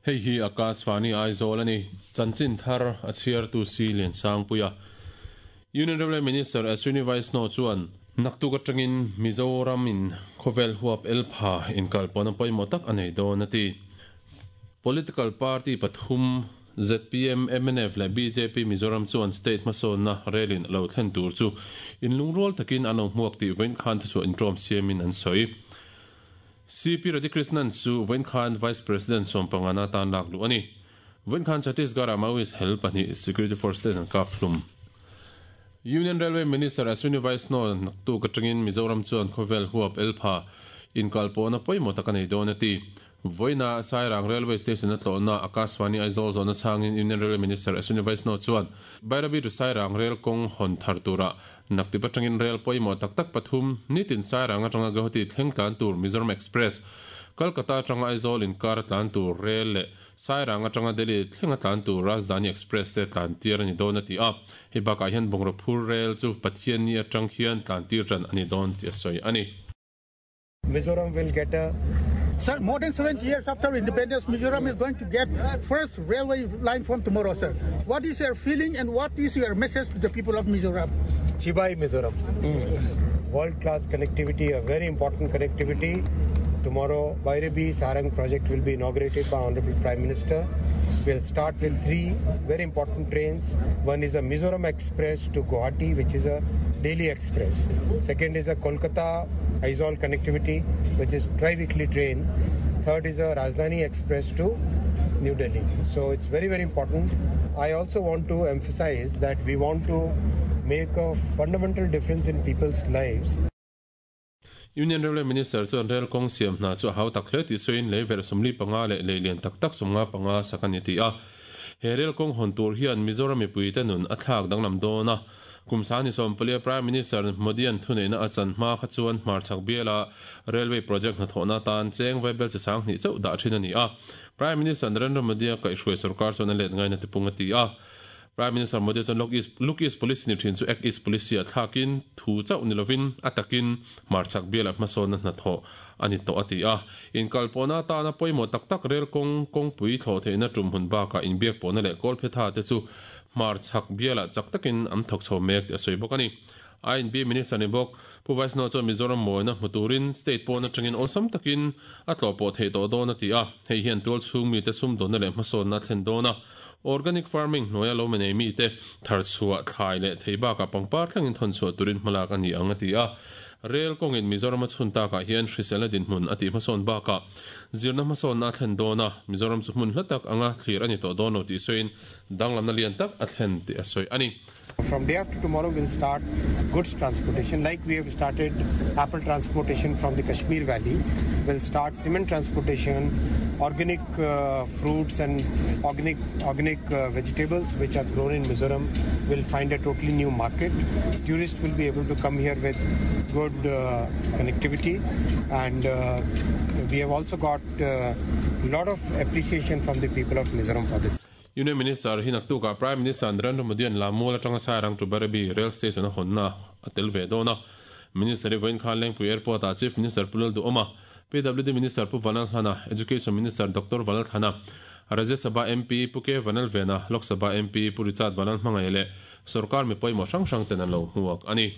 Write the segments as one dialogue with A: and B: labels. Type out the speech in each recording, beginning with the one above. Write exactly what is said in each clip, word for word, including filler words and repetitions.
A: Hei hi Akashvani Aizawl ani chanchin thar a chhiar tu si lian sang puia Union Railway Minister Ashwini Vaishnaw chuan naktuk atangin Mizoram in khawvel huap elpha inkal pawna pawimawh tak a nei dawn a ti. Political party pathum Z P M, M N F leh B J P Mizoram chuan state hmasawnna relin lo thlen tur chu inlungrual takin an lo hmuak tih vawiin khan thuchhuah intawm siamin an sawi. C P Radhakrishnan chu vawiin khan Vice President sawmpangana tan lak luh a ni. Vawiin khan Chhattisgarh-ah Maoist hel pahnih Security Force ten an kap hlum. Union Railway Minister Ashwini Vaishnaw naktuk atangin Mizoram chuan khawvel huap elpha inkal pawhna pawimawh tak a nei dawn a ti. Vawiina Sairang Railway Station a tlawhna Akashvani Aizawl zawhna chhangin Union Railway Minister Ashwini Vaishnaw chuan Bairabi to Sairang Rail kawng hawn thar tura naktip atangin rail pawimawh tak tak pathum nitin Sairang atanga Guwahati thleng tlan tur Mizoram Express, Kolkata atanga Aizawl inkar tlan tur rail leh Sairang atanga Delhi thlenga tlan tur Rajdhani Express te tlan tir ani dawn a ti a. Hei bakah hian Bungraphur rail chu Pathian ni atang hian tlan tir tan ani dawn ti a sawi ani.
B: Mizoram will get a
C: Sir, more than seventy years after independence, Mizoram is going to get first railway line from tomorrow, sir. What is your feeling and what is your message to the people of Mizoram?
B: Chibai Mizoram. Mm. World-class connectivity, a very important connectivity. Tomorrow, Bairabi Sairang project will be inaugurated by Honorable Prime Minister. We'll start with three very important trains. One is a Mizoram Express to Guwahati, which is a daily express. Second is a Kolkata Aizawl connectivity, which is tri-weekly train. Third is a Rajdhani Express to New Delhi. So it's very, very important. I also want to emphasize that we want to make a fundamental difference in people's lives.
A: Union Railway Minister chuan rail kawng siam hna chu a hau tak hle tih sawiin lei verh sawmli panga leh lei lian tak tak sawmnga panga sak a ni ti a. He rail kawng hawn tur hian Mizoram mipui te nun a thlak danglam dawn a. Kumsani sawmpalia Prime Minister Modi-an thuneihna a chan hma kha chuan hmarchhak biala railway project hnathawhna tan cheng vaibel chi sang hnih chauh dah thin a ni a. Prime Minister Narendra Modi-a kaihhruai sarkar chuan a let ngaina tipung a ti a. Prime Minister Modi chuan Look East, Look East Policy ni thin chu Act East Policy a thlakin thu chauh ni lovin a takin hmarchhak biala hmasawnna hnathawh ani tawh a ti a. Inkalpawhna tana pawimawh tak tak rail kawng kawngpui thlawh theihna tum hun bakah inbiak pawhna leh kawl phetha te chu hmarchhak biala chak takin an thawk chho mek ti a sawi bawk a ni. I N B Minister ni bawk Pu Vaishnaw chuan Mizoram mawina hmu turin state pawhna atangin awlsam takin a tlawh pawh theih tawh dawn a ti a. Hei hian tual chhung mi te sum dawnna leh hmasawnna thlen dawn a. Organic farming hnuaia lo menei mi te thar chhuah thlai leh thei bakah pangpar thlengin thawn chhuah turin hmalak a ni ang a ti a. Rail kawngin Mizoram a chhun takah hian hriselna dinhmun a tih hmasawn bakah zirna hmasawnna a thlen dawn a. Mizoram chu hmun hla tak anga thlir a ni tawh dawn lo tih sawiin danglamna lian tak a thlen tih a sawi a ni.
B: From day after tomorrow we'll start goods transportation like we have started apple transportation from the Kashmir Valley. We'll start cement transportation, organic uh, fruits and organic organic uh, vegetables which are grown in Mizoram will find a totally new market. Tourists will be able to come here with good uh, connectivity, and uh, we have also got a uh, lot of appreciation from the people of Mizoram for this.
A: Union Minister hinaktuka Prime Minister Narendra Modi an Lammual atanga Sairang to Bairabi rail station a hawnna a tel ve dawn a. Minister Vawiin khan Lengpui Airport ah Chief Minister Pu Lalduhoma, P W D Minister Pu Vanal Hlana, Education Minister Doctor Vanal Thlana, Rajya Sabha M P Pu K Vanal Vena, Lok Sabha M P Pu Richard Vanal Hmangaih leh sarkar mi pawimawh hrang hrang ten an lo hmuak a ni.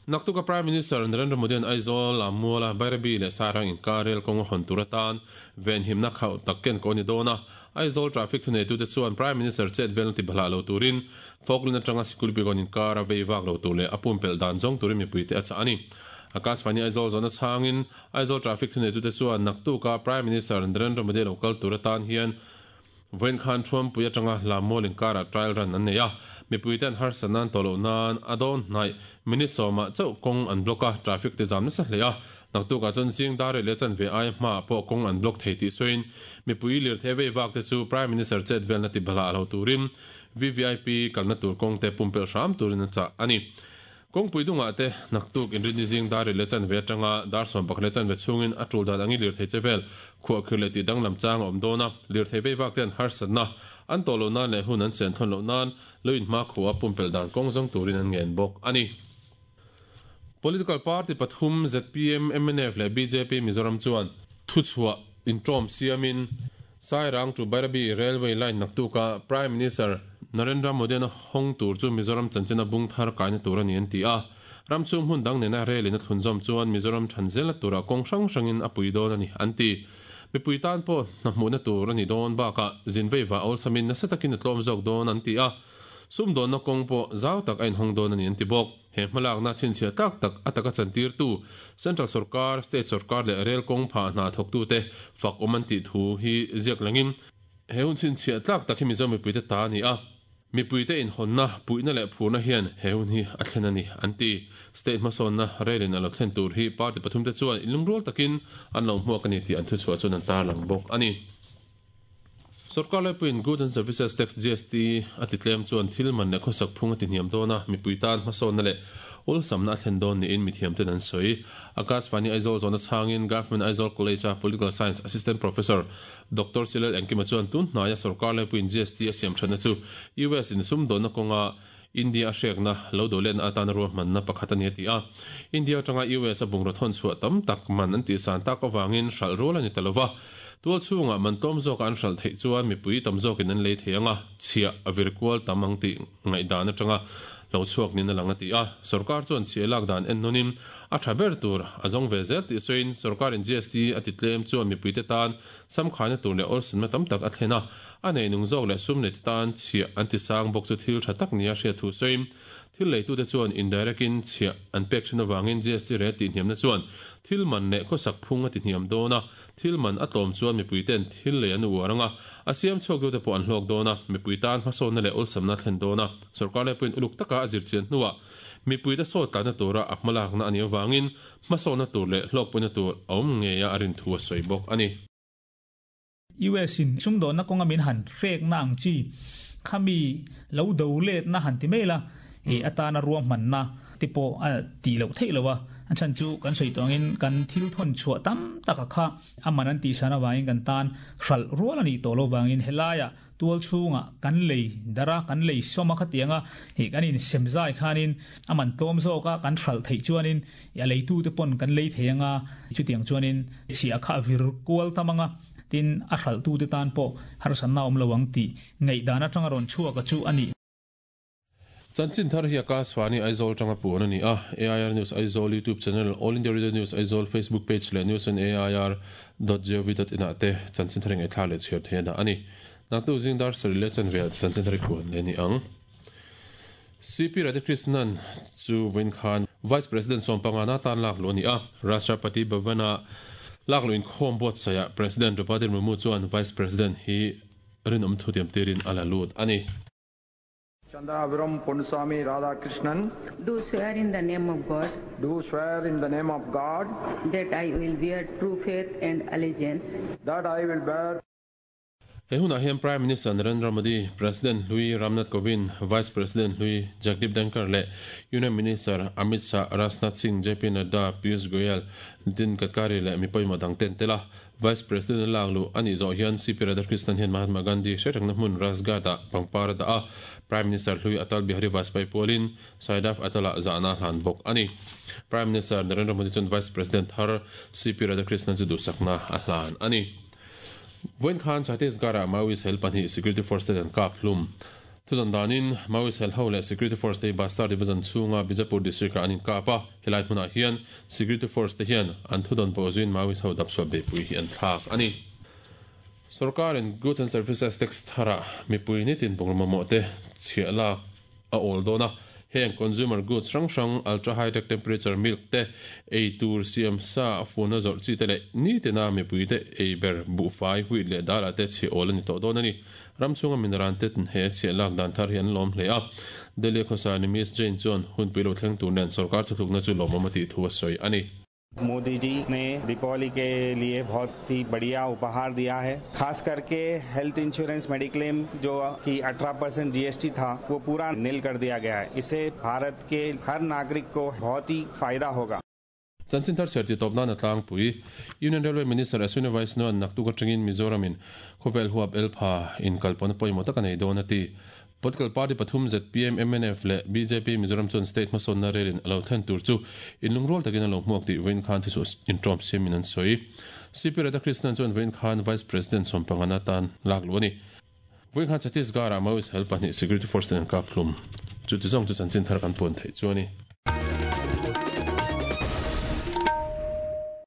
A: Naktuka Prime Minister Narendra Modi an Aizawl Lammuala Bairabi leh Sairang inkar rail kawng a hawn tur atan venhimna khauh tak ken ko ni dawn a. Aizawl traffic thuneitu te chuan Prime Minister chet velna ti bhala lo turin Falkland atanga Sikulpigon inkar a vei vak lo tur leh a pumpelh dan zawng turin mipui te a chah a ni. Akashvani Aizawl zawhna chhangin Aizawl traffic thuneitu te chuan naktuka Prime Minister Narendra Modi lo kal tur atan hian vawiin khan Thuampui atanga Lammual inkara trial run an nei a. Mipui ten harsa nan tawh loh nan a dawn hnaih minute sawmah chauh kawng an block a, traffic te zam nasa hle a. Naktuka chuan zing dar leh chan ve ai hma pawh kawng an block thei tih sawiin mipui lir the vei vak te chu Prime Minister chet velna ti bhala lo turin V V I P kalna tur kawng te pumpelh hram turin a chah a ni. Kawngpui dungah te naktuk inrinni zing dar leh chan ve atanga dar sawm pakhat leh chan ve chhungin a tul dan angi lir thei che vel khuah khir leh ti danglam chang a awm dawn a. Lir thei vei vak te an harsatna an tawh loh nan leh hun an sen thawn loh nan lo in hma khuah pumpelh dan kawng zawng turin an ngen bawk a ni. Political party pathum Z P M, M N F leh B J P Mizoram chuan thuchhuah intawm siamin Sairang to Bairabi Railway line naktuka Prime Minister Narendra Modi na hong tur chu Mizoram chanchina bungthar kaina tur ani an ti a. Ramchung hun dang nena rail in a thlunzawm chuan Mizoram thanzela tura kawng hrang hrangin a pui dawn ani an ti. Mipui tan pawh hna hmuhna tur ani dawn bakah zinveiva awlsamin nasa takin a tlawm zawk dawn an ti a. Sum dawnna kawng pawh zau tak a inhawng dawn ani an ti bawk. He hmalakna chhinchhiah tak tak a taka chantir tu Central Sarkar, State Sarkar leh rail kawng phah hna thawktu te fak awm an tih thu hi ziak langin he hun chhinchhiah tlak tak hi Mizo mipuite ta ani a. Mipuite inhawnna puihna leh phurna hian he hun hi a thlen ani an ti. State hmasawnna rail in a lo thlen tur hi party pathum te chuan inlungrual takin an lo hmuak ani tih an thuchhuah chuan an tarlang bawk ani. Sarkar laipuiin Goods and Services Tax G S T a ti tlem chuan thil man leh khawsak phung a ti hniam dawn a, mipui tan hmasawnna leh awlsamna a thlen dawn niin mithiam ten an sawi. Akashvani Aizawl zawhna chhangin Government Aizawl College a Political Science Assistant Professor Doctor Silal Engkima chuan tun hnaia sarkar laipuiin G S T a siam thatna chu U S in sum dawnna kawnga India a hrekna lo do len atana ruahmanna pakhat ani a ti a. India atanga U S a bungraw thawn chhuah tam tak man an tih san tak awangin hralh rual ani ta lova. Tual chhungah man tlawm zawk an hralh theih chuan mipui tam zawkin an lei thei anga chhiah a virkual tam ang tih ngaihdan atanga lo chhuak nin a lang a ti a. Sarkar chuan chhiah lak dan en nawnin a tha ber tur a zawng ve zel tih sawiin sarkarin G S T a ti tlem chuan mipuite tan samkhaina tur leh awlsanna tam tak a thlen a. A nei nung zawk leh sum nei te tan chhiah an ti sang bawk chu thil tha tak nia hriat thu sawiin thil leitute chuan indirect in chhiah an pek thin awangin G S T rate tih hniamna chuan thil man leh khawsak phung a ti hniam dawn a. Thil man a tlawm chuan mipui ten thil lei an uar anga a siam chhuak tu te pawh an hlawk dawn a, mipui tan hmasawnna leh awlsamna thlen dawn a. Sarkar laipuiin uluk taka a zirchian hnuah mipui te sawt tlanna tura a hmalakna ani awangin hmasawnna tur leh hlawkpuina tur a awm ngei a a rin thu a sawi bawk ani.
D: U S in sumdawnna kawnga min han hrekna ang chi khami lo do let na han ti mai la e atana ruahmanna te pawh a ti loh theih lo a. An chan chu kan sawi tawngin kan thil thawn chhuah tam tak a kha aman an tih san awangin kan tan hralh rual ani tawh lo wangin helaia tual chhunga kan lei dara kan lei sawma khatianga he kan in semzai khanin aman tlawm zawka kan hralh theih chuanin a leitu te pawn kan lei thei anga chutiang chuanin chhiah kha vir kual tamanga tin a hralh tu te tan pawh harsanna awm lo ang tih ngaihdan atanga rawn chhuak a chu ani.
A: Chanchin thar hi Akashvani Aizawl tanga puan ani a. A I R News Aizawl YouTube channel, All India Radio News Aizawl Facebook page leh news on A I R dot gov dot in ah te chanchin thar ngai thla leh chhiar thei a ani. Naktu zingdar sari leh chanvel chanchin thar puan le ni ang. C P Radhakrishnan chu Win Khan Vice President Sompangana tan lak lo ni a. Rashtrapati Bhavana lak lo in khom bot saya President Draupadi Murmu chuan Vice President hi rinom thu tiam tirin ala lut ani.
E: Chandrapuram Ponnusamy Radhakrishnan,
F: do swear in the name of God,
E: do swear in the name of God,
F: that I will bear true faith and allegiance,
E: that I will bear.
A: He hunah hian Prime Minister Narendra Modi, President Hlui Ramnath Kovind, Vice President Hlui Jagdeep Dhankhar leh Union Minister Amit Shah, Rajnath Singh, J P Nadda, Piyush Goyal, Nitin Gadkari leh mi pawimawh dang ten tela. Vice President lak lu ani zawh hian C P Radhakrishnan hian Mahatma Gandhi hretangna hmun Rajghat ah pangpar da a. Prime Minister Hlui Atal Bihari Vajpayee pualin Saidaf Atala zahna hlan bawk ani. Prime Minister Narendra Modi chuan Vice President thar C P Radhakrishnan chu duhsakna a hlan ani. Voin Khan Chhattisgarh Maoist hel pahnih Security Force te an kap hlum. Thudan danin Maoist hel ho leh Security Force te Bastar Division chhunga Bijapur District ah an inkap a. Helai hmunah hian Security Force te hian an thudan pawh zuin Maoist ho dapchhuah beipui hi an thlak ani. Sarkarin Goods and Services Tax thara mipui nitin bungraw mamawh te chhiah lak a awl dawn a. Heng consumer goods hrang hrang ultra high tech temperature milk te ei tur siam sa a funa zawrh chi te leh ni tena mipui te ei ber buhfai huit leh dal ah te chhiah awl ani tawh dawn ani. Ramchhunga minaran te he chhiah lak dan thar hi an lawm hle a. Delhi khawsa ni Miss Jane chuan hunpui lo thleng tur nen sarkar thutlukna chu lawmawm a tih thu a sawi ani.
G: Modi ji ने दीपावली के लिए बहुत ही बढ़िया उपहार दिया है। खास करके health insurance mediclaim जो कि अठारह परसेंट जीएसटी था वो पूरा नील कर दिया गया है। इससे भारत के हर नागरिक को बहुत ही फायदा होगा।
A: Chanchin thar serti topna na tlangpui Union Railway Minister Ashwini Vaishnaw naktuk atangin Mizoramin khawvel huap elpha in kalpawna pawimawh tak a nei dawn a ti. Political party pathum Z P M, M N F leh B J P Mizoram chuan state hmasawnna relin alo thlen tur chu inlungrual takin alo hmuak tih vawiin khan thuchhuah inṭawm siamin an sawi. C P Radhakrishnan chuan vawiin khan Vice President sawmpangana tan lak luh a ni. Vawiin khan Chhattisgarh-ah Maoist hel pahnih security force ten an kap hlum. Chu ti zawng chu chanchin thar kan puan theih chu a ni.